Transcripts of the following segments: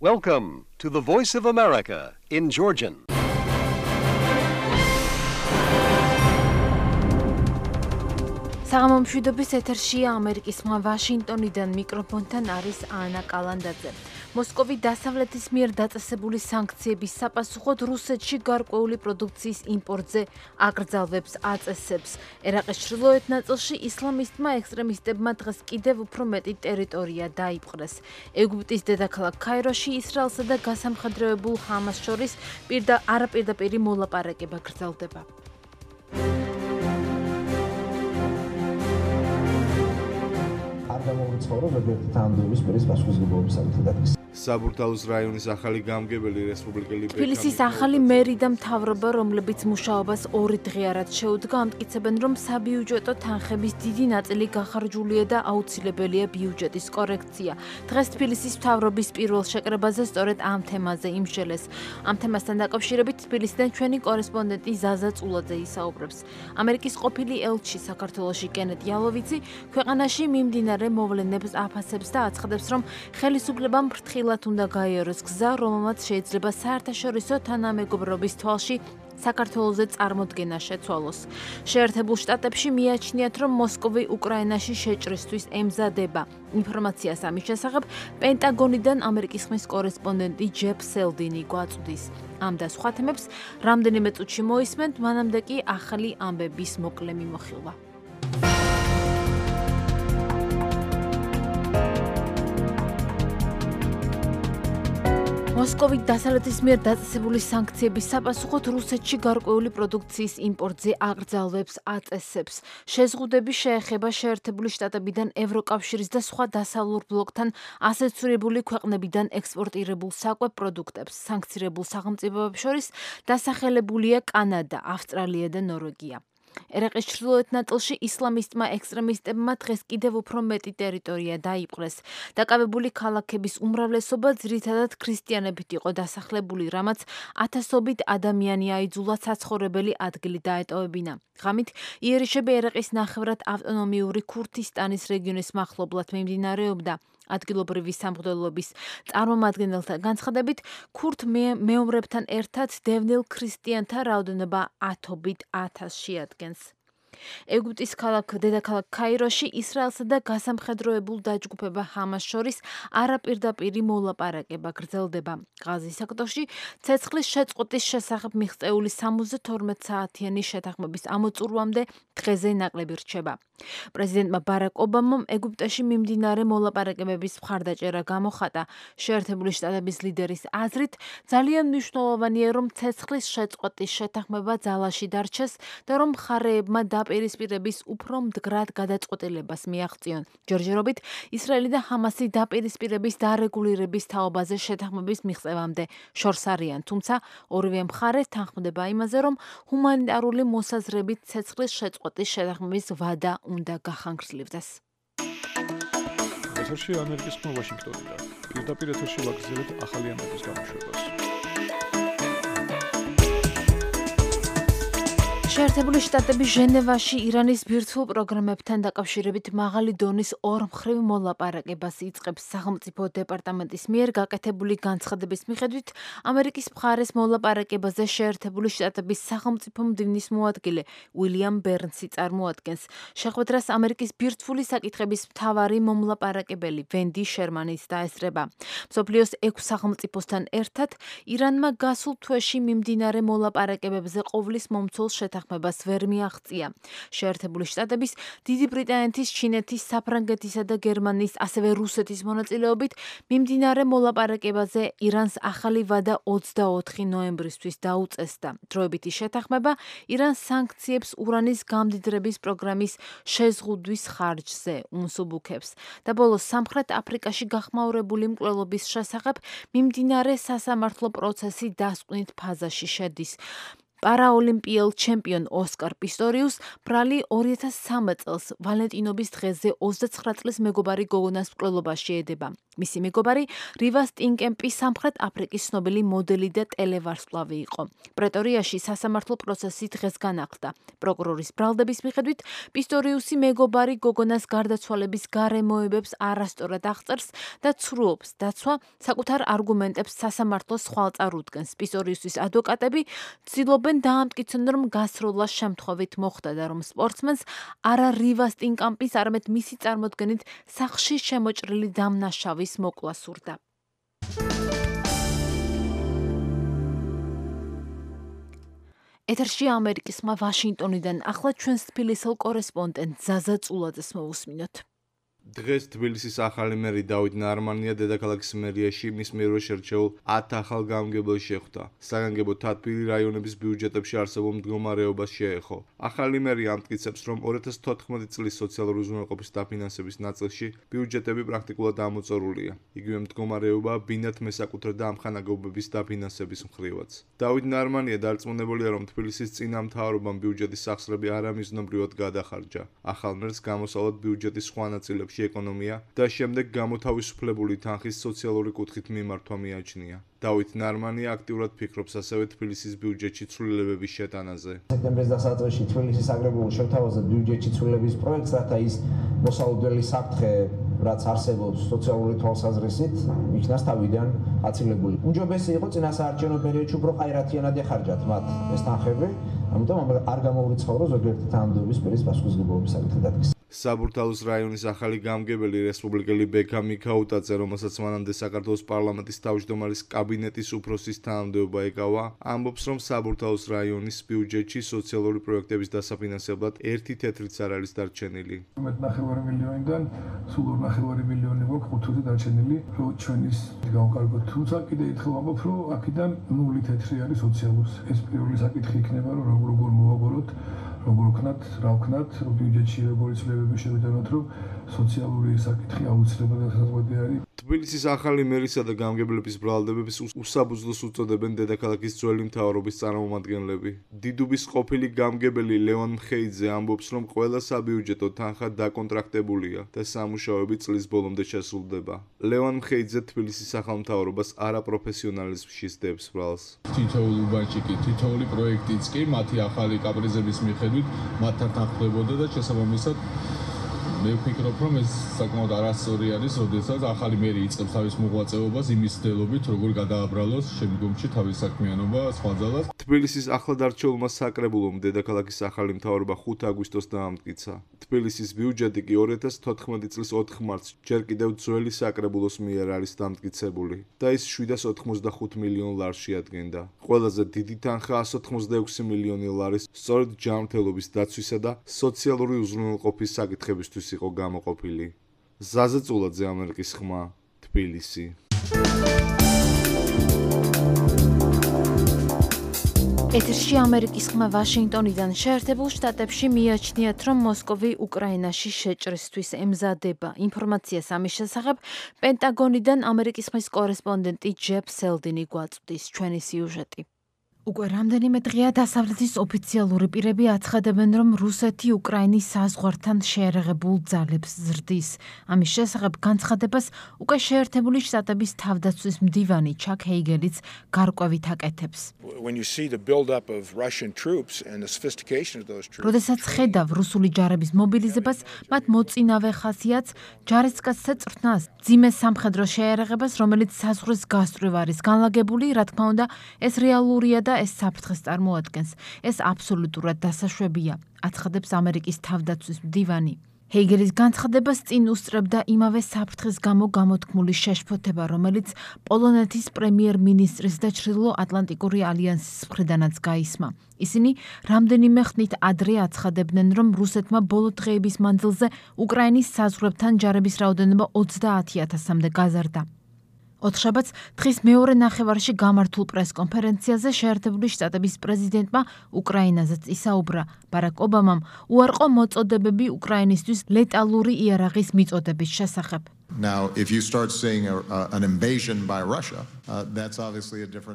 Welcome to the Voice of America in Georgian. საღამომშვიდობის ეთერშია ამერიკის ხმა ვაშინგტონიდან მიკროფონთან არის ანა კალანდაძე. მოსკოვი დასავლეთის მიერ დაწესებული სანქციების საპასუხოდ რუსეთში გარკვეული პროდუქციის იმპორტზე აკრძალვებს აწესებს. ერაყის ჩრდილოეთ ნაწილში ისლამისტმა ექსტრემისტებმა დღეს კიდევ უფრო მეტი ტერიტორია დაიპყრეს. ეგვიპტის დედაქალაქ ქაიროში ისრაელსა და გასამხედროებულ ჰამას შორის არაპირდაპირი მოლაპარაკება გრძელდება. საბურთალოს რაიონის ახალი გამგებელი რესპუბლიკელი თბილისის ახალი მერი და მთავრობა, რომლებიც მუშაობას 2 დღე არად შეუდგა, ამტკიცებენ, რომ საბიუჯეტო თანხების დიდი ნაწილი გახარჯულია და აუცილებელია ბიუჯეტის კორექცია. დღეს თბილისის მთავრობის პირველ შეკრებაზე სწორედ ამ თემაზე იმსჯელეს. ამ თემასთან დაკავშირებით თბილისიდან ჩვენი კორესპონდენტი ზაზა წულაძე ისაუბრებს. ამერიკის ყოფილი ელჩი საქართველოში კენეთ იალოვიცი ქვეყანაში მიმდინარე მოვლენებს აფასებს და აცხადებს, რომ ხელისუფლებამ ფრთხილად უნდა გაიაროს გზა, რომელმაც შეიძლება საერთაშორისო თანამეგობრობის თვალში საქართველოზე წარმოდგენა შეცვალოს. შეერთებულ შტატებში მიაჩნიათ, რომ მოსკოვი უკრაინაში შეჭრისთვის ემზადება. ინფორმაციას ამის შესახებ პენტაგონიდან ამერიკის ხმის კორესპონდენტი ჯეფ სელდინი გვაწვდის. ამ და სხვა თემებს რამდენიმე წუთში მოისმენთ, მანამდე კი ახალი ამბების მოკლე მიმოხილვა. მოსკოვი დასავლეთის მიერ დაწესებული სანქციების საპასუხოდ რუსეთში გარკვეული პროდუქციის იმპორტზე აკრძალვებს აწესებს. შეზღუდები შეეხება შეერთებული შტატებიდან ევროკავშირის და სხვა დასავლურ ბლოკთან ასოცირებული ქვეყნებიდან ექსპორტირებულ საკვებ პროდუქტებს. სანქცირებულ სახელმწიფოებს შორის დასახელებულია კანადა, ავსტრალია და ნორვეგია. ერაყის ჩრდილოეთ ნაწილში ისლამისტმა ექსტრემისტებმა დღეს კიდევ უფრო მეტი ტერიტორია დაიპყრეს. დაკავებული ქალაქების უმრავლესობა ძირითადად ქრისტიანებით იყო დასახლებული, რამაც ათასობით ადამიანი აიძულა საცხოვრებელი ადგილი დაეტოვებინა. ღამით იერიშები ერაყის ნახევრად ავტონომიური ქურთისტანის რეგიონის მახლობლად მიმდინარეობდა. ადგილობრივი სამღვდელოების წარმომადგენელთა განცხადებით, ქურთ მეომრებთან ერთად დევნილ ქრისტიანთა რაოდენობა 10,000 შეადგენს. ეგვიპტის დედაქალაქ ქაიროში ისრაელსა და გასამხედროებულ დაჯგუფება ჰამას შორის არაპირდაპირი მოლაპარაკება გრძელდება. ღაზის სექტორში ცეცხლის შეწყვეტის შესახებ მიღწეული 72 საათიანი შეთანხმების ამოწურვამდე დღეზე ნაკლები რჩება. პრეზიდენტმა ბარაკ ობამამ ეგვიპტეში მიმდინარე მოლაპარაკებების მხარდაჭერა გამოხატა. შეერთებული შტატების ლიდერის აზრით, ძალიან მნიშვნელოვანია, რომ ცეცხლის შეწყვეტის შეთანხმება ძალაში დარჩეს და რომ მხარეებმა დაპირისპირების უფრო მდგრად გადაწყვეტილებას მიაღწიონ. ჯერჯერობით ისრაელი და ჰამასი დაპირისპირების დარეგულირების თაობაზე შეთანხმების მიღწევამდე შორს არიან, თუმცა ორივე მხარე თანხმდება იმაზე, რომ ჰუმანიტარული მოსაზრებით ცეცხლის შეწყვეტის შეთანხმების ვადა უნდა გახანგრძლივდეს. ეთერში ამერიკის ხმა ვაშინგტონიდან. პირდაპირ ეთერში ვაგრძელებთ ახალი ამბების გამოშვებას. შეერთებული შტატები ჟენევაში ირანის ბირთვულ პროგრამებთან დაკავშირებით მაღალი დონის ორმხრივ მოლაპარაკებას იწყებს. სახელმწიფო დეპარტამენტის მიერ გაკეთებული განცხადების მიხედვით, ამერიკის მხარეს მოლაპარაკებაზე შეერთებული შტატების სახელმწიფო მდივნის მოადგილე უილიამ ბერნსი წარმოადგენს. შეხვედრას ამერიკის ბირთვული საკითხების მთავარი მომლაპარაკებელი ვენდი შერმანის დაესწრება. მსოფლიოს 6 სახელმწიფოსთან ერთად ირანმა გასულ თვეში მიმდინარე მოლაპარაკებებზე ყოვლის მომცველ შეთანხმებას ვერ მიაღწია. შეერთებული შტატების, დიდი ბრიტანეთის, ჩინეთის, საფრანგეთისა და გერმანიის, ასევე რუსეთის მონაწილეობით მიმდინარე მოლაპარაკებაზე ირანს ახალი ვადა 24 ნოემბრისთვის დაუწესდა. დროებითი შეთანხმება ირანს სანქციებს ურანის გამდიდრების პროგრამის შეზღუდვის ხარჯზე უმსუბუქებს და ბოლოს სამხრეთ აფრიკაში გახმაურებული მკვლელობის შესახებ მიმდინარე სასამართლო პროცესი დასკვნით ფაზაში შედის. პარაოლიმპიელ ჩემპიონ ოსკარ პისტორიუს ბრალი 2013 წელს ვალენტინობის დღეზე 29 წლის მეგობარი გოგონას მკვლელობაში ედება. მისი მეგობარი რივა სტინკემპი სამხრეთ აფრიკის ცნობილი მოდელი და ტელევარსკვლავი იყო. პრეტორიაში სასამართლო პროცესი დღეს განახლდა. პროკურორის ბრალდების მიხედვით პისტორიუსი მეგობარი გოგონას გარდაცვალების გარემოებებს არასწორად აღწერს და ცრუობს დაცვა საკუთარ არგუმენტებს სასამართლოს ხვალწარ უდგენს. პისტორიუსის ადვოკატები ცდილობენ დაამტკიცონ, რომ გასროლა შემთხვევით მოხდა და რომ სპორტსმენს არა რივა სტინკემპის, არამედ მისი წარმოდგენით სახლში შემოჭრილი დამნაშავი მოკლა სურდა. ეთერში ამერიკის ხმა ვაშინგტონიდან ახლა ჩვენს თბილისელ კორესპონდენტ ზაზა წულაძეს მოვუსმინოთ. დღეს თბილისის ახალი მერი დავით ნარმანია დედაქალაქის მერიაში მის მიერვე შერჩეულ 10 ახალ გამგებელს შეხვდა. საგანგებო თათბირი რაიონების ბიუჯეტებში არსებულ მდგომარეობას შეეხო. ახალი მერი ამტკიცებს, რომ 2014 წლის სოციალური უზრუნველყოფის დაფინანსების ნაწილში ბიუჯეტები პრაქტიკულად ამოწურულია. იგივე მდგომარეობაა ბინათ მესაკუთრე და ამხანაგობების დაფინანსების მხრივაც. დავით ნარმანია დარწმუნებულია, რომ თბილისის წინამთავრობამ ბიუჯეტის სახსრები არამიზნობრივად გადახარჯა. ახალ მერს გამოსავლად ბიუჯეტის სხვა ნაწილებში ეკონომია და შემდეგ გამოთავისუფლებული თანხის სოციალური კუთხით მიმართვა მიაჩნია. დავით ნარმანია აქტიურად ფიქრობს ასევე თბილისის ბიუჯეტში ცვლილებების შეტანაზე. სექტემბრის დასაწყისში თბილისის აგრებულ შევთავაზეთ ბიუჯეტში ცვლილების პროექტს, რათა ის მოსავლებელი საფრთხე, რაც არსებობს სოციალური თვალსაზრისით, იქნას თავიდან აცილებული. უმჯობესი იყო წინასაარჩევნო პერიოდში უფრო ყაირათიანად ეხარჯათ მათ ეს თანხები, ამიტომ არ გამოვრიცხავ, რომ ზოგიერთი თანამდებობის პირის პასუხისმგებლობის საკითხი დადგეს. საბურთალოს რაიონის ახალი გამგებელი რესპუბლიკელი ბექა მიქაუტაძე, რომელსაც მანამდე საქართველოს პარლამენტის თავმჯდომარის კაბინეტის უფროსის თანამდებობა ეკავა, ამბობს, რომ საბურთალოს რაიონის ბიუჯეტში სოციალური პროექტების დასაფინანსებლად 1 თეთრიც არ არის დარჩენილი. 1.5 მილიონიდან სულ 2.5 მილიონი გვაქვს ხუთზე დარჩენილი, რომ ჩვენის გავკარგოთ. თუმცა კიდე ერთხელ ვამბობ, რომ აქედან 0 თეთრი არის სოციალურს. ეს პირველი საკითხი იქნება, რომ როგორ მოვაბოროთ, როგორ ვქნათ, რა ვქნათ, ბიუჯეტში როგორი ცვლილებები შევიტანოთ, რომ სოციალური საკითხი აუცილებლად დასაწყისი არის. თბილისის ახალი მერისა და გამგებლების ბრალდებებს უსაბუძვლოს უწოდებენ დედაქალაქის ძველი მთავრობის წარმომადგენლები. დიდუბის ყოფილი გამგებელი ლევან მხეიძე ამბობს, რომ ყველა საბიუჯეტო თანხა დაკონტრაქტებულია და სამუშაოები წლის ბოლომდე შესრულდება. ლევან მხეიძე თბილისის ახალ მთავრობას არაპროფესიონალიზმში სდებს ბრალს. თითოეული უბანჭიკი, თითოეული პროექტიც კი მათი ახალი კაპრიზების მიხედვით მათთან თანხმდებოდა და შესაბამისად მე ვფიქრობ, რომ ეს საკმაოდ არასწორი არის, როდესაც ახალი მერი იწყებს თავის მოღვაწეობას იმის მცდელობით, როგორ გადააბრალოს შემდგომში თავის საქმიანობა სხვა ძალას. თბილისის ახლად არჩეულმა საკრებულომ დედაქალაქის ახალი მთავრობა 5 აგვისტოს დაამტკიცა. თბილისის ბიუჯეტი კი 2014 წლის 4 მარტს ჯერ კიდევ ძველი საკრებულოს მიერ არის დამტკიცებული და ის 785 მილიონ ლარს შეადგენდა. ყველაზე დიდი თანხა 186 მილიონი ლარის სწორედ ჯანმრთელობის დაცვისა და სოციალური უზრუნველყოფის საკითხებისთვის იყო გამოყოფილი. ზაზა წულაძე, ამერიკის ხმა, თბილისი. ეთერში ამერიკის ხმა ვაშინგტონიდან. შეერთებულ შტატებში მიაჩნიათ, რომ მოსკოვი უკრაინაში შეჭრისთვის ემზადება. ინფორმაციას ამის შესახებ პენტაგონიდან ამერიკის ხმის კორესპონდენტი ჯეფ სელდინი გვაწვდის. ჩვენი სიუჟეტი. უკვე რამდენიმე დღეა დასავლეთის ოფიციალური პირები აცხადებენ, რომ რუსეთი უკრაინის საზღვართან შეერაღებულ ძალებს ზრდის. ამის შესახებ განცხადებას უკვე შეერთებული შტატების თავდაცვის მდივანი ჩაკ ჰეიგელიც გარკვევით აკეთებს. როდესაც ხედავ რუსული ჯარების მობილიზებას, მათ მოწინავე ხასიათს, ჯარისკაცთა წვრთნას, ძიმე სამხედრო შეერაღებას, რომელიც საზღვრის გასწვრივ არის განლაგებული, რა თქმა უნდა, ეს რეალურია და ეს საფრთხეს წარმოადგენს. ეს აბსოლუტურად დასაშვებია, აცხადებს ამერიკის თავდაცვის მდივანი. ჰეიგელის განცხადებას წინ უსწრებდა იმავე საფრთხის გამო გამოთქმული შეშფოთება, რომელიც პოლონეთის პრემიერ-მინისტრის და ჩრდილო-ატლანტიკური ალიანსის მხრიდანაც გაისმა. ისინი რამდენიმე ხნით ადრე აცხადებდნენ, რომ რუსეთმა ბოლო დღეების მანძილზე უკრაინის საზღვრებთან ჯარების რაოდენობა 30,000-მდე გაზარდა. ოთხშაბათს დღის მეორე ნახევარში გამართულ პრესკონფერენციაზე შეერთებული შტატების პრეზიდენტმა უკრაინაზეც ისაუბრა. ბარაკ ობამამ უარყო მოწოდებები უკრაინისთვის ლეტალური იარაღის მიწოდების შესახებ.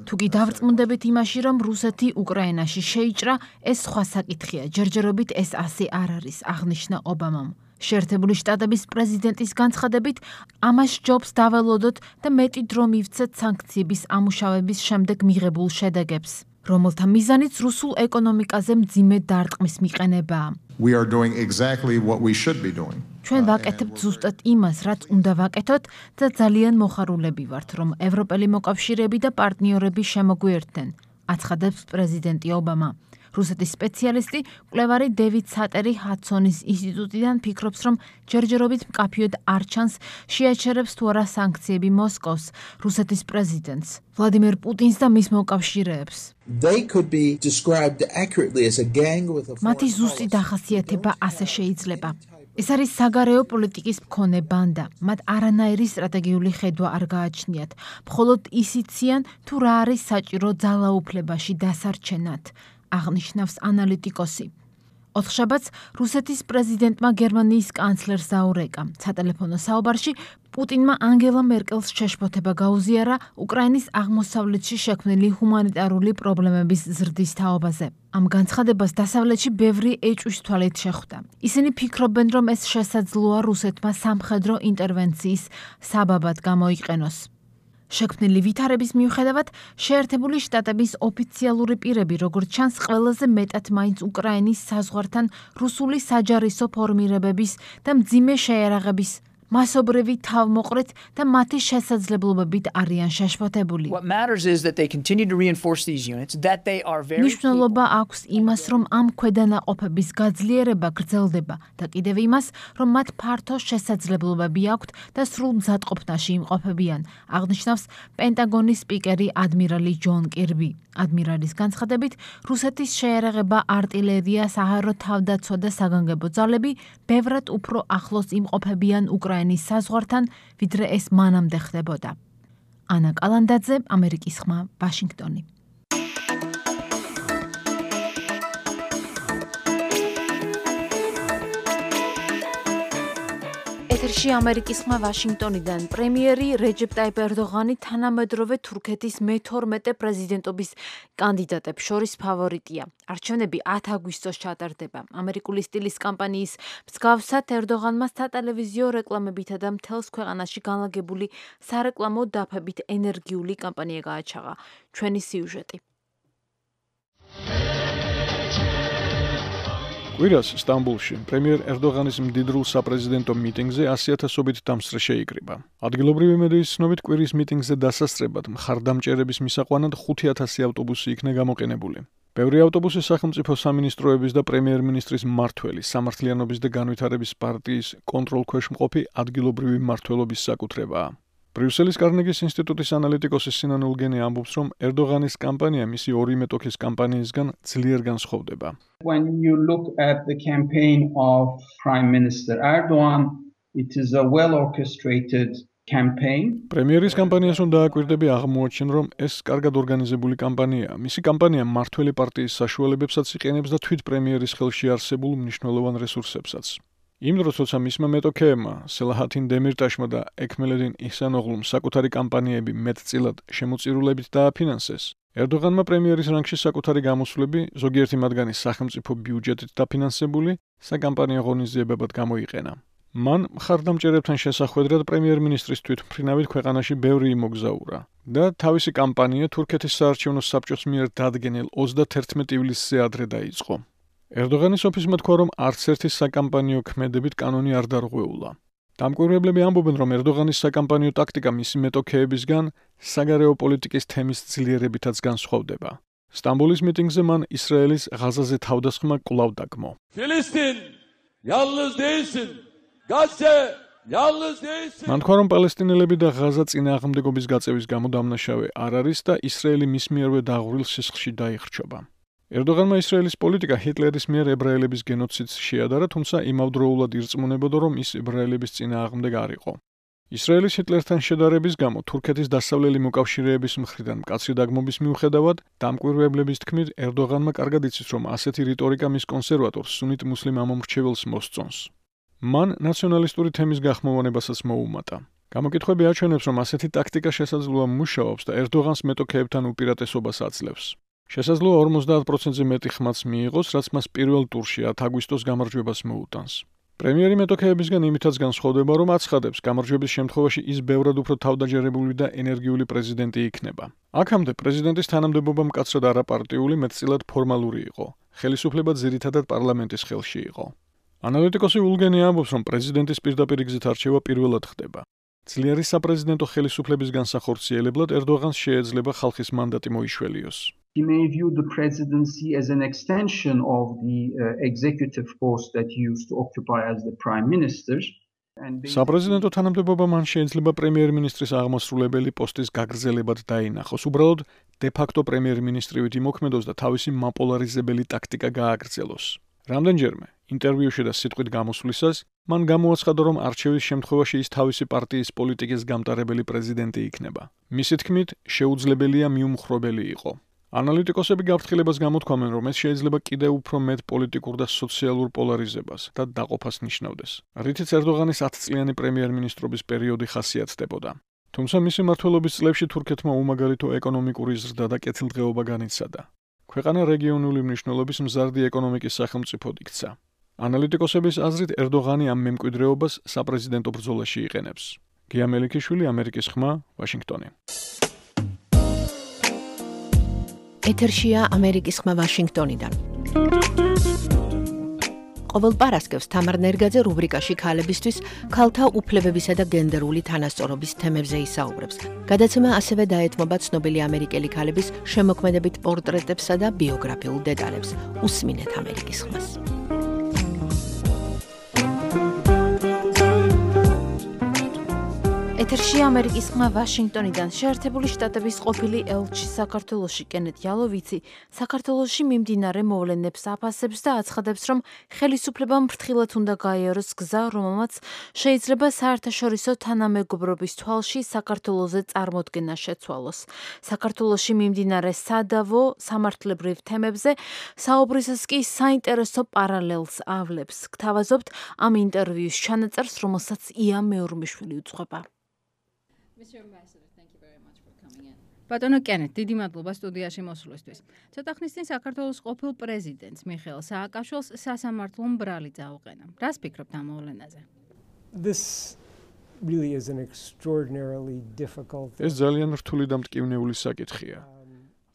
თუ კი დავრწმუნდებით იმაში, რომ რუსეთი უკრაინაში შეიჭრა, ეს სხვა საკითხია. ჯერჯერობით ეს ასე არ არის, აღნიშნა ობამამ. შეერთებული შტატების პრეზიდენტის განცხადებით, ამას ჯობს დაველოდოთ და მეტი დრო მივცეთ სანქციების ამუშავების შემდეგ მიღებულ შედეგებს, რომელთა მიზანიც რუსულ ეკონომიკაზე მძიმე დარტყმის მიყენებაა. We are doing exactly what we should be doing. ჩვენ ვაკეთებთ ზუსტად იმას, რაც უნდა ვაკეთოთ და ძალიან მოხარულები ვართ, რომ ევროპელი მოკავშირეები და პარტნიორები შემოგვიერთდნენ, აცხადებს პრეზიდენტი ობამა. რუსეთის სპეციალისტი, მკვლევარი დევიდ სატერი ჰადსონის ინსტიტუტიდან ფიქრობს, რომ ჯერჯერობით მკაფიოდ არ ჩანს შეაჩერებს თუ არა სანქციები მოსკოვს, რუსეთის პრეზიდენტს, ვლადიმერ პუტინს და მის მოკავშირეებს. მათი ზუსტი დახასიათება ასე შეიძლება. ეს არის საგარეო პოლიტიკის მქონე ბანდა. მათ არანაირი სტრატეგიული ხედვა არ გააჩნიათ. მხოლოდ ისიციან, თუ რა არის საჭირო ძალაუფლებაში დასარჩენად. აღნიშნავს ანალიტიკოსი. ოთხშაბათს რუსეთის პრეზიდენტმა გერმანიის კანცლერს დაურეკა. სატელეფონო საუბარში პუტინმა ანგელა მერკელს შეშფოთება გაუზიარა უკრაინის აღმოსავლეთში შექმნილი ჰუმანიტარული პრობლემების ზრდის თაობაზე. ამ განცხადებას დასავლეთში ბევრი ეჭვის თვალით შეხვდა. ისინი ფიქრობენ, რომ ეს შესაძლოა რუსეთმა სამხედრო ინტერვენციის საბაბად გამოიყენოს. შექმნილი ვითარების მიუხედავად, შეერთებული შტატების ოფიციალური პირები, როგორც ჩანს, ყველაზე მეტად მაინც უკრაინის საზღვართან რუსული საჯარისო ფორმირებების და მძიმე შეიარაღების მასობრივი თავმოყრით და მათი შესაძლებლობებით არიან შეშფოთებული. მნიშვნელობა აქვს იმას, რომ ამ ქვედანაყოფების გაძლიერება გრძელდება და კიდევ იმას, რომ მათ ფართო შესაძლებლობები აქვთ და სრულ მზადყოფნაში იმყოფებიან, აღნიშნავს პენტაგონის სპიკერი ადმირალი ჯონ კირბი. ადმირალის განცხადებით, რუსეთის შეიარაღება, არტილერია, საჰაერო თავდაცვა და საგანგებო ძალები ბევრად უფრო ახლოს იმყოფებიან უკრაინის საზღვართან, ვიდრე ეს მანამდე ხდებოდა. ანა კალანდაძე, ამერიკის ხმა, ვაშინგტონი. ეთერში ამერიკის ხმა ვაშინგტონიდან. პრემიერი რეჯეპ ტაიპ ერდოღანი თანამედროვე თურქეთის მე-12 პრეზიდენტობის კანდიდატებს შორის ფავორიტია. არჩევნები 10 აგვისტოს ჩატარდება. ამერიკული სტილის კამპანიის მსგავსად ერდოღანმა სატელევიზიო რეკლამებითა და მთელს ქვეყანაში განლაგებული სარეკლამო დაფებით ენერგიული კამპანია გააჩაღა. ჩვენი სიუჟეტი. კვირას სტამბულში პრემიერ ერდოღანის მდიდრულ საპრეზიდენტო მიტინგზე 100,000-ობით დამსწრე შეიკრიბა. ადგილობრივი მედიის ცნობით კვირის მიტინგზე დასასწრებად მხარდამჭერების მისაყვანად 5,000 ავტობუსი იქნა გამოყენებული. ბევრი ავტობუსი სახელმწიფო სამინისტროების და პრემიერ-მინისტრის მმართველი, სამართლიანობის და განვითარების პარტიის კონტროლქვეშ მყოფი ადგილობრივი მმართველობის საკუთრებაა. ბრიუსელის კარნეგის ინსტიტუტის ანალიტიკოსი სინან ულგენი ამბობს, რომ ერდოღანის კამპანია მისი ორი მეტოქის კამპანიისგან ძლიერ განსხვავდება. When you look at the campaign of Prime Minister Erdogan, it is a well-orchestrated campaign. პრემიერის კამპანიას უნდა აკვირდები აღმოაჩენ, რომ ეს კარგად ორგანიზებული კამპანიაა. მისი კამპანია მმართველი პარტიის საშუალებებსაც იყენებს და თვით პრემიერის ხელში არსებულ მნიშვნელოვან რესურსებსაც. იმ დროს, როცა მისმა მეტოქეებმა, სელაჰათინ დემირტაშმა და ექმელედინ იჰსანოღლუმ საკუთარი კამპანიები მეტწილად შემოწირულებით დააფინანსეს, ერდოღანმა პრემიერის რანგში საკუთარი გამოსვლები, ზოგიერთი მათგანი სახელმწიფო ბიუჯეტით დაფინანსებული, საკამპანიო ღონისძიებებად გამოიყენა. მან მხარდამჭერებთან შესახვედრად პრემიერ-მინისტრის თვითმფრინავით ქვეყანაში ბევრი იმოგზაურა და თავისი კამპანია თურქეთის საარჩევნო საბჭოს მიერ დადგენილ 31 ივლისზე ადრე დაიწყო. ერდოღანის ოფისმა თქვა, რომ არც ერთი საკამპანიო ქმედებით კანონი არ დარღვეულა. დამკვირვებლები ამბობენ, რომ ერდოღანის საკამპანიო ტაქტიკა მისი მეტოქეებისგან საგარეო პოლიტიკის თემის ძლიერებითაც განსხვავდება. სტამბოლის მიტინგზე მან ისრაელის ღაზაზე თავდასხმა კვლავ დაგმო. Filistin, yalnız değilsin. Gazze, yalnız değilsin. მან თქვა, რომ პალესტინელები და ღაზა წინააღმდეგობის გაწევის გამო დამნაშავე არ არის და ისრაელი მის მიერვე დაღვრილ სისხლში დაიხრჩობა. ერდოღანმა ისრაელის პოლიტიკა ჰიტლერის მიერ ებრაელების გენოციდს შეადარა, თუმცა იმავდროულად ირწმუნებოდა, რომ ის ებრაელების წინააღმდეგ არ იყო. ისრაელის ჰიტლერთან შედარების გამო თურქეთის დასავლელი მოკავშირეების მხრიდან მკაცრი დაგმობის მიუხედავად, დამკვირვებლების თქმით, ერდოღანმა კარგად იცის, რომ ასეთი რიტორიკა მის კონსერვატორს სუნით მუსლიმ ამომრჩეველს მოსწონს. მან ნაციონალისტური თემის გახმოვანებასაც მოუმატა. გამოკითხვები აჩვენებს, რომ ასეთი ტაქტიკა შესაძლოა მუშაობს და ერდოღანს მეტოქეებთან უპირატესობას აძლევს. შესაძლოა 50%-ზე მეტი ხმაც მიიღოს, რაც მას პირველ ტურში 10 აგვისტოს გამარჯვებას მოუტანს. პრემიერი მეტოქეებისგან იმითაც განსხვავდება, რომ აცხადებს, გამარჯვების შემთხვევაში ის ბევრად უფრო თავდაჯერებული და ენერგიული პრეზიდენტი იქნება. აქამდე პრეზიდენტის თანამდებობა მკაცრად არაპარტიული, მეტწილად ფორმალური იყო. ხელისუფლება ძირითადად პარლამენტის ხელში იყო. ანალიტიკოსი ულგენი ამბობს, რომ პრეზიდენტის პირდაპირ გზით არჩევა პირველად ხდება. ძლიერი საპრეზიდენტო ხელისუფლების განსახორციელებლად ერდოღანს შეეძლება ხალხის მანდატი მოიშველიოს. He may view the presidency as an extension of the executive post that he used to occupy as the prime minister. საპრეზიდენტო თანამდებობა მან შეიძლება პრემიერ-მინისტრის აღმასრულებელი პოსტის გაგრძელებად დაინახოს. უბრალოდ დე-ფაქტო პრემიერ-მინისტრივით იმოქმედოს და თავისი მაპოლარიზებელი ტაქტიკა გააგრძელოს. რამდენჯერმე ინტერვიუში და სიტყვით გამოსვლისას მან გამოაცხადა, რომ არჩევის შემთხვევაში ის თავისი პარტიის პოლიტიკის გამტარებელი პრეზიდენტი იქნება. მისი თქმით, შეუძლებელია მიუმხრობელი იყო. ანალიტიკოსები გაფრთხილებას გამოთქვამენ, რომ ეს შეიძლება კიდევ უფრო მეტ პოლიტიკურ და სოციალურ პოლარიზებას და დაყოფას ნიშნავდეს, რითიც ერდოღანის 10 წლიანი პრემიერ-მინისტრობის პერიოდი ხასიათდებოდა. თუმცა მისი მმართველობის წლებში თურქეთმა უმაგალითო ეკონომიკური ზრდა და კეთილდღეობა განიცადა. ქვეყანა რეგიონული მნიშვნელობის მზარდი ეკონომიკის სახელმწიფოდ იქცა. ანალიტიკოსების აზრით, ერდოღანი ამ მემკვიდრეობას საპრეზიდენტო ბრძოლაში იყენებს. გია მელიქიშვილი, ამერიკის ხმა, ვაშინგტონი. ეთერშია ამერიკის ხმა ვაშინგტონიდან. ყოველ პარასკევს თამარ ნერგაძე რუბრიკაში ქალებისთვის ქალთა უფლებებისა და გენდერული თანასწორობის თემებზე ისაუბრებს. გადაცემა ასევე დაეთმობა ცნობილი ამერიკელი ქალების შემოქმედებით პორტრეტებსა და ბიოგრაფიულ დეტალებს. უსმინეთ ამერიკის ხმას. ეთერში ამერიკის ხმა ვაშინგტონიდან. შეერთებული შტატების ყოფილი ელჩი საქართველოში კენეთ იალოვიცი საქართველოში მიმდინარე მოვლენებს აფასებს და აცხადებს, რომ ხელისუფლებამ ფრთხილად უნდა გაიაროს გზა, რომელმაც შეიძლება საერთაშორისო თანამეგობრობის თვალში საქართველოზე წარმოდგენა შეცვალოს. საქართველოში მიმდინარე სადავო სამართლებრივ თემებზე საუბრისას კი საინტერესო პარალელს ავლებს. გთავაზობთ ამ ინტერვიუს ჩანაწერს, რომელსაც ია მეურმიშვილი უძღვება. ბატონო კენეთ, დიდი მადლობა სტუდიაში მოსვლისთვის. ცოტა ხნის წინ საქართველოს ყოფილ პრეზიდენტს მიხეილ სააკაშვილს სასამართლო მბრალი წაუყენა. რას ფიქრობთ ამ მოვლენაზე? ეს ძალიან რთული და მტკივნეული საკითხია.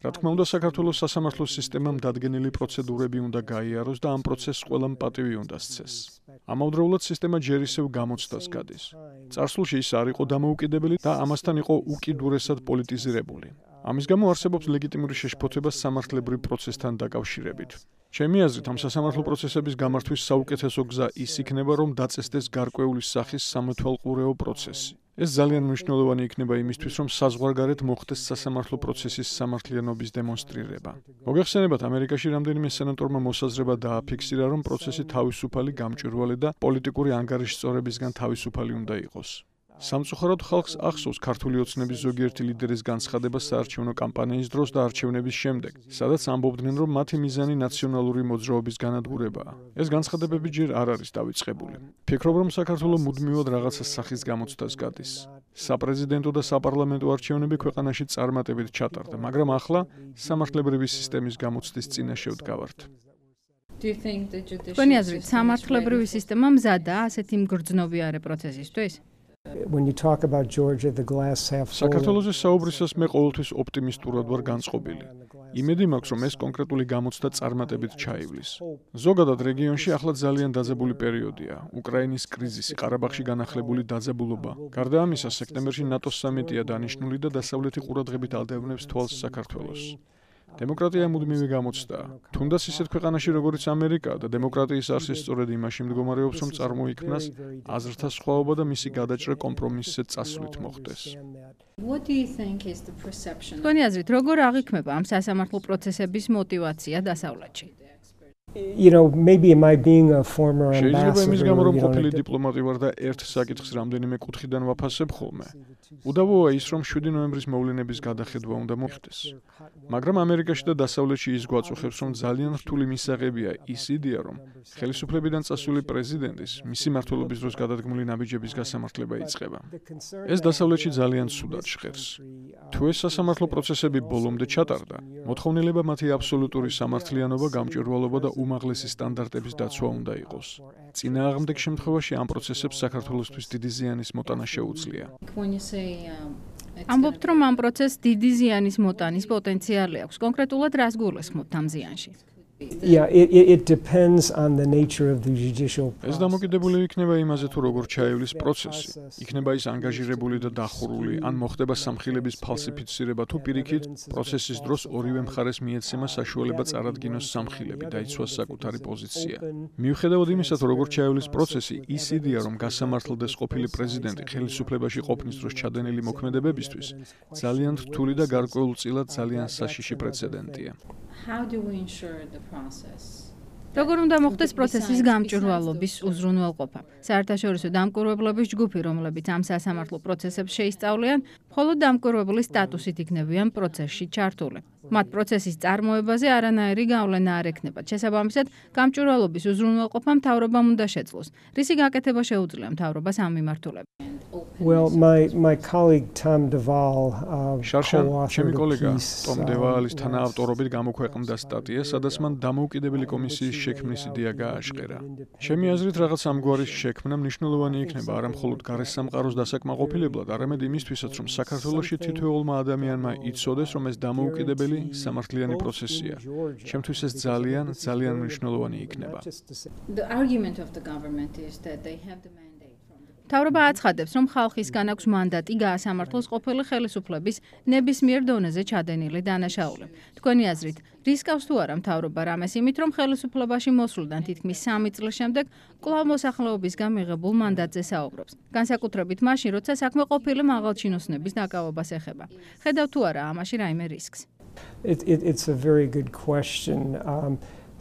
რა თქმა უნდა, საქართველოს სასამართლო სისტემამ დადგენილი პროცედურები უნდა გაიაროს და ამ პროცესს ყველამ პატივი უნდა სცეს. ამავდროულად სისტემა ჯერ ისევ გამოცდას გადის. წარსულში ის არ იყო დამოუკიდებელი და ამასთან იყო უკიდურესად პოლიტიზირებული. ამის გამო არსებობს ლეგიტიმური შეშფოთება სამართლებრივ პროცესთან დაკავშირებით. ჩემი აზრით, ამ სასამართლო პროცესების გამართვის საუკეთესო გზა ის იქნება, რომ დაწესდეს გარკვეული სახის სამეთვალყურეო პროცესი. ეს ძალიან მნიშვნელოვანი იქნება იმისთვის, რომ საზღვარგარეთ მოხდეს სასამართლო პროცესის სამართლიანობის დემონსტრირება. მოგეხსენებათ, ამერიკაში რამდენიმე სენატორმა მოსაზრება დააფიქსირა, რომ პროცესი თავისუფალი, გამჭვირვალე და პოლიტიკური ანგარიშსწორებისგან თავისუფალი უნდა იყოს. სამწუხაროდ ხალხს ახსოვს ქართული ოცნების ზოგიერთი ლიდერის განცხადება საარჩევნო კამპანიის დროს და არჩევნების შემდეგ, სადაც ამბობდნენ, რომ მათი მიზანი ნაციონალური მოძრაობის განადგურებაა. ეს განცხადებები ჯერ არ არის დავიწყებული. ფიქრობ, რომ საქართველო მუდმივად რაღაცა სახის გამოცდას გადის. საპრეზიდენტო და საპარლამენტო არჩევნები ქვეყანაში წარმატებით ჩატარდა, მაგრამ ახლა სამართლებრივი სისტემის გამოცდის წინაშე ვდგავართ. თქვენი აზრით, სამართლებრივი სისტემა მზადაა ასეთი მგრძნობიარე პროცესისთვის? საქართველოზე საუბრისას მე ყოველთვის ოპტიმისტურად ვარ განწყობილი. იმედი მაქვს, რომ ეს კონკრეტული გამოცდა წარმატებით ჩაივლის. ზოგადად რეგიონში ახლა ძალიან დაძაბული პერიოდია. უკრაინის კრიზისი, ყარაბაღში განახლებული დაძაბულობა. გარდა ამისა, სექტემბერში ნატოს სამიტია დანიშნული და დასავლეთი ყურადღებით ადევნებს თვალს საქართველოს. დემოკრატია მუდმივი გამოცდაა. თუნდაც ისეთ ქვეყანაში, როგორც ამერიკა და დემოკრატიის არსი სწორედ იმაში მდგომარეობს, რომ წარმოიქმნას აზრთა სხვაობა და მისი გადაჭრა კომპრომისზე წასვლით მოხდეს. თქვენი აზრით, როგორ აღიქმება ამ სასამართლო პროცესების мотиваცია დასავლეთში? შეიძლება იმის გამო, რომ ყოფილი დიპლომატი ვარ და ერთ საკითხს რამდენიმე კუთხიდან ვაფასებ ხოლმე. უდავოა ის, რომ 7 ნოემბრის მოვლენების გადახედვა უნდა მოხდეს. მაგრამ ამერიკაში და დასავლეთში ის გვაწუხებს, რომ ძალიან რთული მისაღებია ის იდეა, რომ ხელისუფლებიდან წასული პრეზიდენტის მისი მმართველობის დროს გადადგმული ნაბიჯების გასამართლება იწყება. ეს დასავლეთში ძალიან ცუდად ჟღერს. თუ ეს სასამართლო პროცესები ბოლომდე ჩატარდა, მოთხოვნილება მათი აბსოლუტური სამართლიანობა, გამჭვირვალობა და უმაღლესი სტანდარტების დაცვა უნდა იყოს. წინააღმდეგ შემთხვევაში ამ პროცესებს საქართველოსთვის დიდი ზიანის მოტანა შეუძლია. ამბობთ, რომ ამ პროცესს დიდი ზიანის მოტანის პოტენციალი აქვს. კონკრეტულად რას გულისხმობთ ამ ზიანში? It depends on the nature of the judicial process. ეს დამოკიდებული იქნება იმაზე, თუ როგორ ჩაივლის პროცესი. იქნება ის ანგაჟირებული და დახურული, ან მოხდება სამხილების ფალსიფიცირება, თუ პირიქით, პროცესის დროს ორივე მხარეს მიეცემა საშუალება წარადგინოს სამხილები, დაიცვას საკუთარი პოზიცია. მიუხედავად იმისა, თუ როგორ ჩაივლის პროცესი, ის იდეა, რომ გასამართლდეს ყოფილი პრეზიდენტი ხელისუფლებაში ყოფნის დროს ჩადენილი მოქმედებებისთვის, ძალიან რთული და გარკვეულწილად ძალიან საშიში პრეცედენტია. How do we ensure the process? როგორ უნდა მოხდეს პროცესის გამჭვირვალობის უზრუნველყოფა? საერთაშორისო დამკვირვებლების ჯგუფი, რომლებიც ამ სასამართლო პროცესებს შეისწავლიან, მხოლოდ დამკვირვებლის სტატუსით იქნებიან პროცესში ჩართული. მათ პროცესის წარმოებაზე არანაირი გავლენა არ ექნებათ. შესაბამისად, გამჭვირვალობის უზრუნველყოფა მთავრობამ უნდა შეძლოს. რისი გაკეთება შეუძლია მთავრობას ამ მიმართულებით? Well, my colleague Tom Deval შარშან, ჩემი კოლეგა ტომ დევალის თანაავტორობით გამოქვეყნდა სტატია, სადაც მან დამოუკიდებელი კომისიის შექმნის იდეა გააშყერა. ჩემი აზრით, რაღაც ამგვარი შექმნა მნიშვნელოვანი იქნება არა მხოლოდ გარესამყაროს დასაკმაყოფილებლად, არამედ იმისთვისაც, რომ საქართველოში თითოეულმა ადამიანმა იცოდეს, რომ ეს დამოუკიდებელი სამართლიანი პროცესია. ჩემთვის ეს ძალიან მნიშვნელოვანი იქნება. The argument of the government is that they have the მთავრობა აცხადებს, რომ ხალხისგან აქვს მანდატი გაასამართლოს ყოფილი ხელისუფლების ნებისმიერ დონეზე ჩადენილი დანაშაული. თქვენი აზრით, რისკავს თუ არა მთავრობა რამეს იმით, რომ ხელისუფლებაში მოსვლიდან თითქმის 3 წლის შემდეგ კვლავ მოსახლეობისგან მიღებულ მანდატზე საუბრობს. განსაკუთრებით მაშინ, როცა საქმე ყოფილი მაღალჩინოსნების დაკავებას ეხება. ხედავთ თუ არა ამაში რაიმე რისკს? It's a very good question.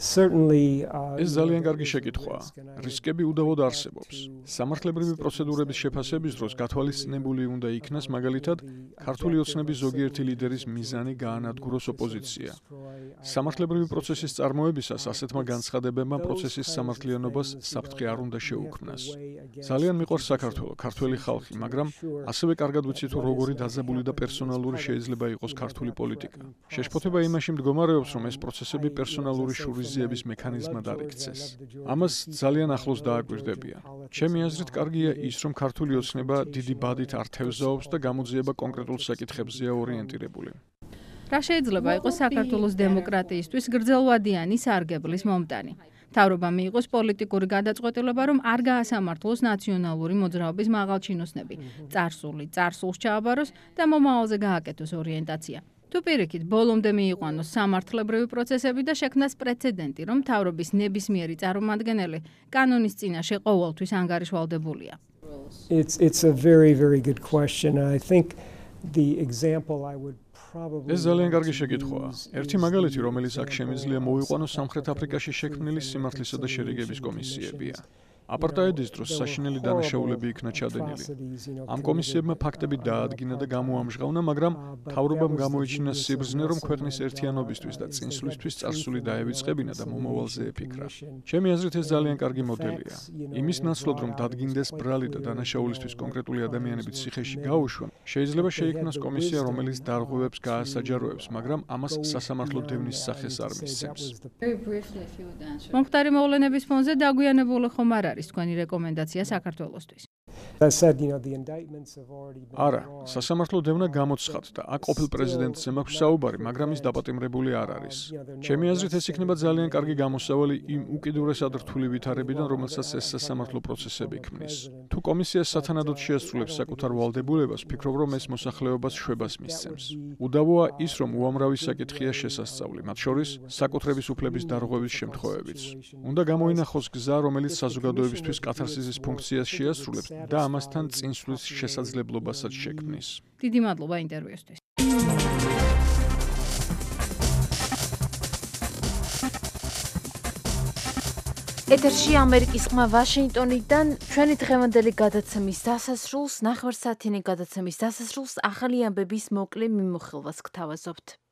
ეს ძალიან კარგი შეკითხვაა. რისკები უდავოდ არსებობს. სამართლებრივი პროცედურების შეფასების დროს გათვალისწინებული უნდა იქნას მაგალითად ქართული ოცნების ზოგიერთი ლიდერის მიზანი გაანადგუროს ოპოზიცია. სამართლებრივი პროცესის წარმოებისას ასეთმა განცხადებებმა პროცესის სამართლიანობას საფრთხე არ უნდა შეუქმნას. ძალიან მიყვარს საქართველო, ქართველი ხალხი, მაგრამ ასევე კარგად ვიცი თუ როგორი დაძაბული და პერსონალური შეიძლება იყოს ქართული პოლიტიკა. შეშფოთება იმაში მდგომარეობს, რომ ეს პროცესები პერსონალური შურიზიების მექანიზმად არ იქცეს. ამას ძალიან ახლოს დააკვირდებიან. ჩემი აზრით, კარგია ის, რომ ქართული ოცნება დიდი ბადით არ თევზაობს და გამოძიება კონკრეტულ საკითხებზეა ორიენტირებული. რა შეიძლება იყოს საქართველოს დემოკრატიისთვის გრძელვადიანი სარგებლის მომტანი? მთავრობამ მიიღოს პოლიტიკური გადაწყვეტილება, რომ არ გაასამართლოს ნაციონალური მოძრაობის მაღალჩინოსნები, წარსულს ჩააბაროს და მომავალზე გააკეთოს ორიენტაცია. თუ პირიქით, ბოლომდე მიიყვანოს სამართლებრივი პროცესები და შექმნას პრეცედენტი, რომ მთავრობის ნებისმიერი წარმომადგენელი კანონის წინაშე ყოველთვის ანგარიშვალდებულია. It's a very good question. I think the example I would ეს ძალიან კარგი შეკითხვაა. ერთი მაგალითი, რომელიც აქ შემიძლია მოვიყვანოს სამხრეთ აფრიკაში შექმნილი სიმართლისა და შერიგების კომისიებია. აპარტაიდის დროს საშინელი დანაშაულები იქნა ჩადენილი. ამ კომისიებმა ფაქტები დაადგინა და გამოამჟღავნა, მაგრამ მთავრობამ გამოიჩინა სიბრძნე, რომ ქვეყნის ერთიანობისთვის და წინსვლისთვის წარსული დაევიწყებინა და მომავალზე ეფიქრა. ჩემი აზრით, ეს ძალიან კარგი მოდელია. იმის ნაცვლად, რომ დადგინდეს ბრალი და დანაშაულისთვის კონკრეტული ადამიანების ციხეში გაუშვან, შეიძლება შეიქმნას კომისია, რომელიც დარღვევებს გაასაჯაროებს, მაგრამ ამას სასამართლო დევნის სახეს არ მისცემს. მომხდარი მოვლენების ფონზე დაგვიანებული ხომ არ არის თქვენი რეკომენდაცია საქართველოსთვის? არა, სასამართლო დევნა გამოცხადდა და აქ ყოფილ პრეზიდენტზე მაქვს საუბარი, მაგრამ ის დაპატიმრებული არ არის. ჩემი აზრით, ეს იქნება ძალიან კარგი გამოსავალი იმ უკიდურესად რთული ვითარებიდან, რომელსაც ეს სასამართლო პროცესები ქმნის. თუ კომისია სათანადოდ შეასრულებს საკუთარ ვალდებულებას, ვფიქრობ, რომ ეს მოსახლეობას შვებას მისცემს. უდავოა ის, რომ უამრავი საკითხია შესასწავლი, მათ შორის საკუთრების უფლების დარღვევის შემთხვევებიც. უნდა გამოინახოს გზა, რომელიც საზოგადოებისთვის კათარსისის ფუნქციას შეასრულებს და ამასთან წინსვლის შესაძლებლობასაც შექმნის. დიდი მადლობა ინტერვიუსთვის. ეთერში ამერიკის ხმა ვაშინგტონიდან ჩვენი დღევანდელი გადაცემის დასასრულს, ნახევარსაათიანი გადაცემის დასასრულს ახალი ამბების მოკლე მიმოხილვას გთავაზობთ.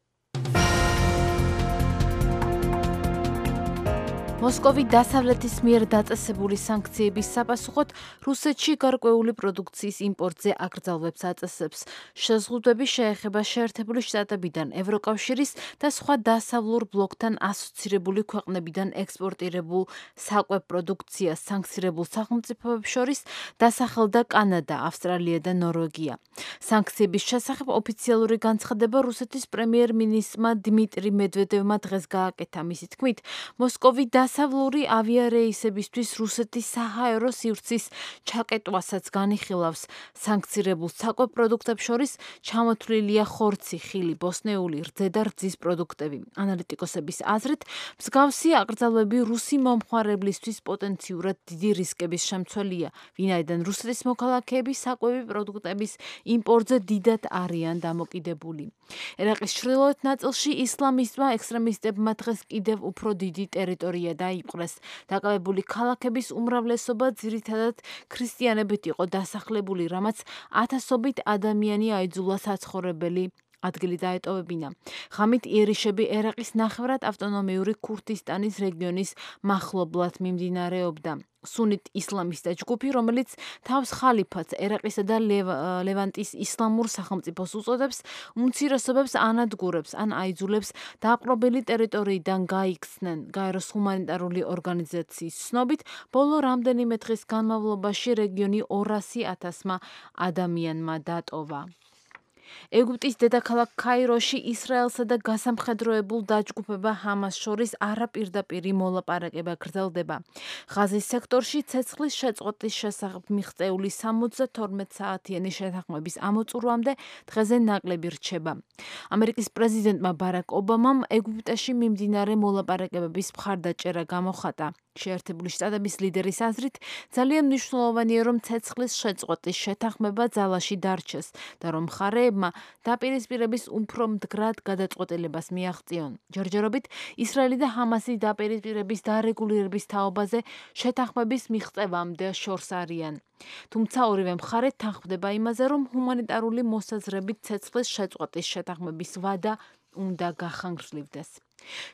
მოსკოვი დასავლეთის მიერ დაწესებული სანქციების საპასუხოდ რუსეთში გარკვეული პროდუქციის იმპორტზე აკრძალვებს აწესებს. შეზღუდვები შეეხება შეერთებული შტატებიდან, ევროკავშირის და სხვა დასავლურ ბლოკთან ასოცირებული ქვეყნებიდან ექსპორტირებულ საკვებ პროდუქციას სანქცირებულ სახელმწიფოებს შორის დასახელდა კანადა, ავსტრალია და ნორვეგია. სანქციების შესახებ ოფიციალური განცხადება რუსეთის პრემიერ-მინისტრმა დიმიტრი მედვედევმა დღეს გააკეთა. მისი თქმით, მოსკოვი დასავლური ავიარეისებისთვის რუსეთის საჰაერო სივრცის ჩაკეტვასაც განიხილავს. სანქცირებულ საკვებ პროდუქტებს შორის ჩამოთვლილია ხორცი, ხილი, ბოსნეული, რძე და რძის პროდუქტები. ანალიტიკოსების აზრით, მსგავსი აკრძალვები რუსი მომხმარებლისთვის პოტენციურად დიდი რისკების შემცველია, ვინაიდან რუსეთის მოქალაქეები საკვები პროდუქტების იმპორტზე დიდად არიან დამოკიდებული. ერაყის ჩრდილოეთ ნაწილში ისლამისტმა ექსტრემისტებმა დღეს კიდევ უფრო დიდი ტერიტორია დაიპყრეს. დაკავებული ქალაქების უმრავლესობა ძირითადად ქრისტიანებით იყო დასახლებული, რამაც ათასობით ადამიანი აიძულა საცხოვრებელი ადგილი დაეტოვებინა. ღამით იერიშები ერაყის ნახევრად ავტონომიური ქურთისტანის რეგიონის მახლობლად მიმდინარეობდა. სუნით ისლამისტთა ჯგუფი, რომელიც თავს ხალიფათს ერაყისა და ლევანტის ისლამურ სახელმწიფოს უწოდებს, უმცირესობებს ანადგურებს ან აიძულებს დააპყრობილი ტერიტორიიდან გაიქცნენ. გაეროს ჰუმანიტარული ორგანიზაციის ცნობით, ბოლო რამდენიმე დღის განმავლობაში რეგიონი 200,000 ადამიანმა დატოვა. ეგვიპტის დედაქალაქ ქაიროში ისრაელსა და გასამხედროებულ დაჯგუფება ჰამას შორის არაპირდაპირი მოლაპარაკება გრძელდება. ღაზის სექტორში ცეცხლის შეწყვეტის შესახებ მიღწეული 72 საათიანი შეთანხმების ამოწურვამდე დღეზე ნაკლები რჩება. ამერიკის პრეზიდენტმა ბარაკ ობამამ ეგვიპტეში მიმდინარე მოლაპარაკებების მხარდაჭერა გამოხატა. შეერთებული შტატების ლიდერის აზრით, ძალიან მნიშვნელოვანია, რომ ცეცხლის შეწყვეტის შეთანხმება ძალაში დარჩეს და რომ მხარეებმა დაპირისპირების უფრო მდგრად გადაწყვეტილებას მიაღწიონ. ჯერჯერობით ისრაელი და ჰამასი დაპირისპირების დარეგულირების თაობაზე შეთანხმების მიღწევამდე შორს არიან. თუმცა ორივე მხარე თანხმდება იმაზე, რომ ჰუმანიტარული მოსაზრებით ცეცხლის შეწყვეტის შეთანხმების ვადა უნდა გახანგრძლივდეს.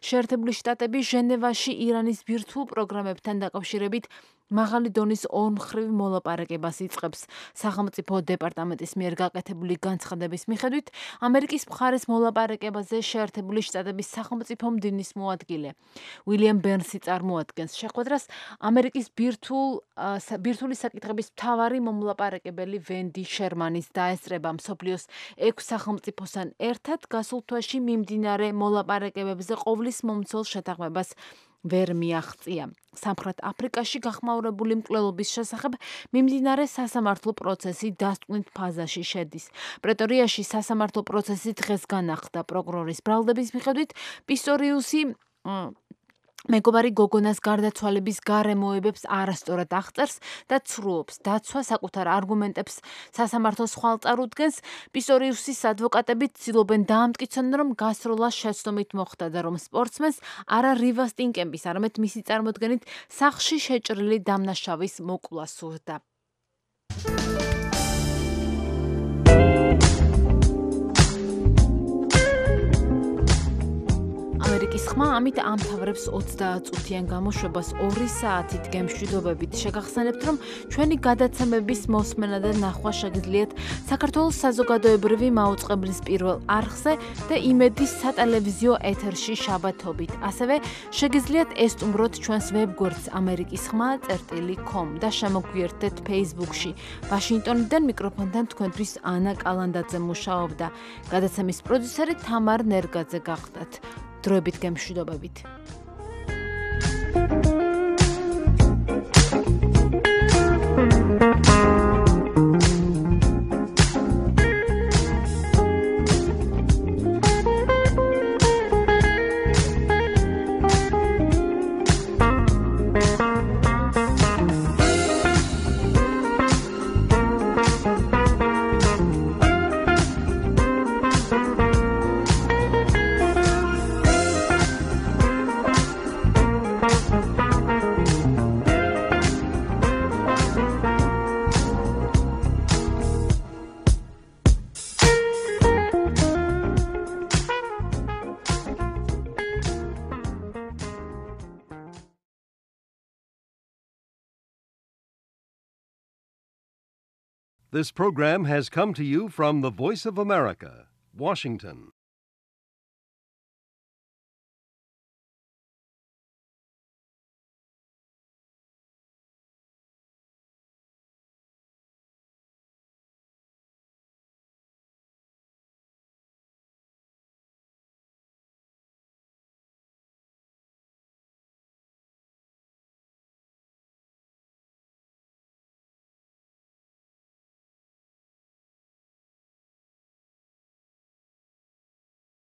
შეერთებული შტატები ჟენევაში ირანის ბირთვულ პროგრამებთან დაკავშირებით მაღალი დონის ორმხრივ მოლაპარაკებას იწყებს. სახელმწიფო დეპარტამენტის მიერ გაკეთებული განცხადების მიხედვით, ამერიკის მხარეს მოლაპარაკებაზე შეერთებული შტატების სახელმწიფო მდივნის მოადგილე უილიამ ბერნსი წარმოადგენს. შეხვედრას ამერიკის ბირთვული საკითხების მთავარი მომლაპარაკებელი ვენდი შერმანის დაესწრება. მსოფლიოს 6 სახელმწიფოსთან ერთად გასულ თვეში მიმდინარე მოლაპარაკებებზე ყოვლის მომცველ შეთანხმებას ვერ მიაღწია. სამხრეთ აფრიკაში გახმაურებული მკვლელობის შესახებ მიმდინარე სასამართლო პროცესი დასტკვნით ფაზაში შედის. პრეტორიაში სასამართლო პროცესი დღეს განახლდა. პროკურორის ბრალდების მიხედვით, პისტორიუსი მეგობარი გოგონას გარდაცვალების გარემოებებს არასწორად აღწერს და ცრუობს. დაცვა საკუთარ არგუმენტებს სასამართლოს ხვალ წარუდგენს. პისტორიუსის ადვოკატები ცდილობენ დაამტკიცონ, რომ გასროლა შეცდომით მოხდა და რომ სპორტსმენს არა რივა სტინკემპის, არამედ მისი წარმოდგენით სახლში შეჭრილი დამნაშავის მოკლა სურდა. ამერიკის ხმა ამით ამთავრებს 30 წუთიან გამოშვებას 2 საათით გემშვიდობებით. შეგახსენებთ, რომ ჩვენი გადაცემების მოსმენა და ნახვა შეგიძლიათ საქართველოს საზოგადოებრივი მაუწყებლის პირველ არხზე და იმედის სატელევიზიო ეთერში შაბათობით. ასევე შეგიძლიათ ესტუმროთ ჩვენს ვებგვერდს amerikiskhma.com და შემოგვიერთდეთ Facebook-ში. ვაშინგტონიდან მიკროფონთან თქვენთვის ანა კალანდაძე მუშაობდა. გადაცემის პროდიუსერი თამარ ნერგაძე გახდათ. დროებით გემშვიდობებით. This program has come to you from the Voice of America, Washington.